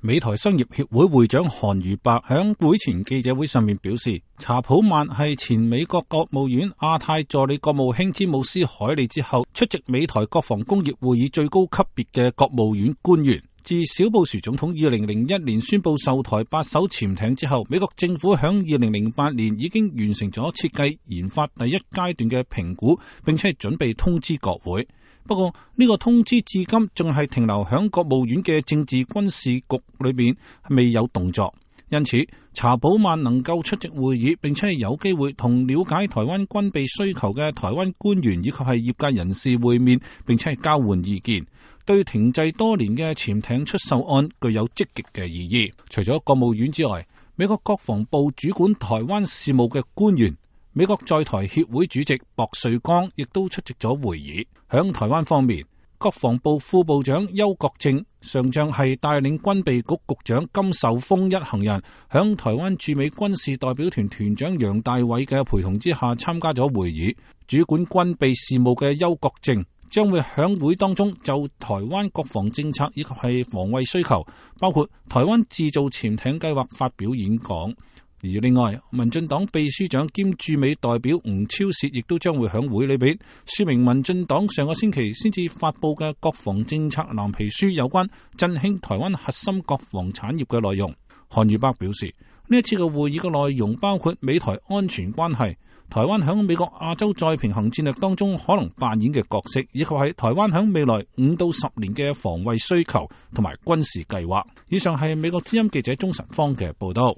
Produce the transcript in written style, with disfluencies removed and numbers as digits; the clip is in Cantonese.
美台商業協會會長韓如白響會前記者會上面表示，查普曼係前美國國務院亞太助理國務卿詹姆斯海利之後出席美台國防工業會議最高級別嘅國務院官員。自小布殊總統2001年宣布售台8艘潛艇之後，美國政府響2008年已經完成咗設計研發第一階段嘅評估，並且係準備通知國會。不過呢個通知至今仲係停留響國務院嘅政治軍事局裏邊，未有動作。因此查普曼能夠出席會議，並且係有機會同了解台灣軍備需求嘅台灣官員以及係業界人士會面，並且係交換意見，對停滯多年嘅潛艇出售案具有積極嘅意義。除咗國務院之外，美國國防部主管台灣事務嘅官員，美國在台協會主席薄瑞剛亦都出席咗會議。響台灣方面，國防部副部長邱國正上將係帶領軍備局局長金秀峰一行人，響台灣駐美軍事代表團團長楊大偉嘅陪同之下參加咗會議。主管軍備事務嘅邱國正將會響會當中就台灣國防政策以及係防衛需求，包括台灣製造潛艇計劃發表演講。而另外，民進黨秘書長兼駐美代表吳釗燮亦都將會響會裏邊說明民進黨上個星期先至發布嘅國防政策藍皮書有關振興台灣核心國防產業嘅內容。韓如白表示，呢一次嘅會議嘅內容包括美台安全關係、台灣響美國亞洲再平衡戰略當中可能扮演嘅角色，以及係台灣響未來5到10年嘅防衛需求同埋軍事計劃。以上係美國之音記者鍾晨芳嘅報道。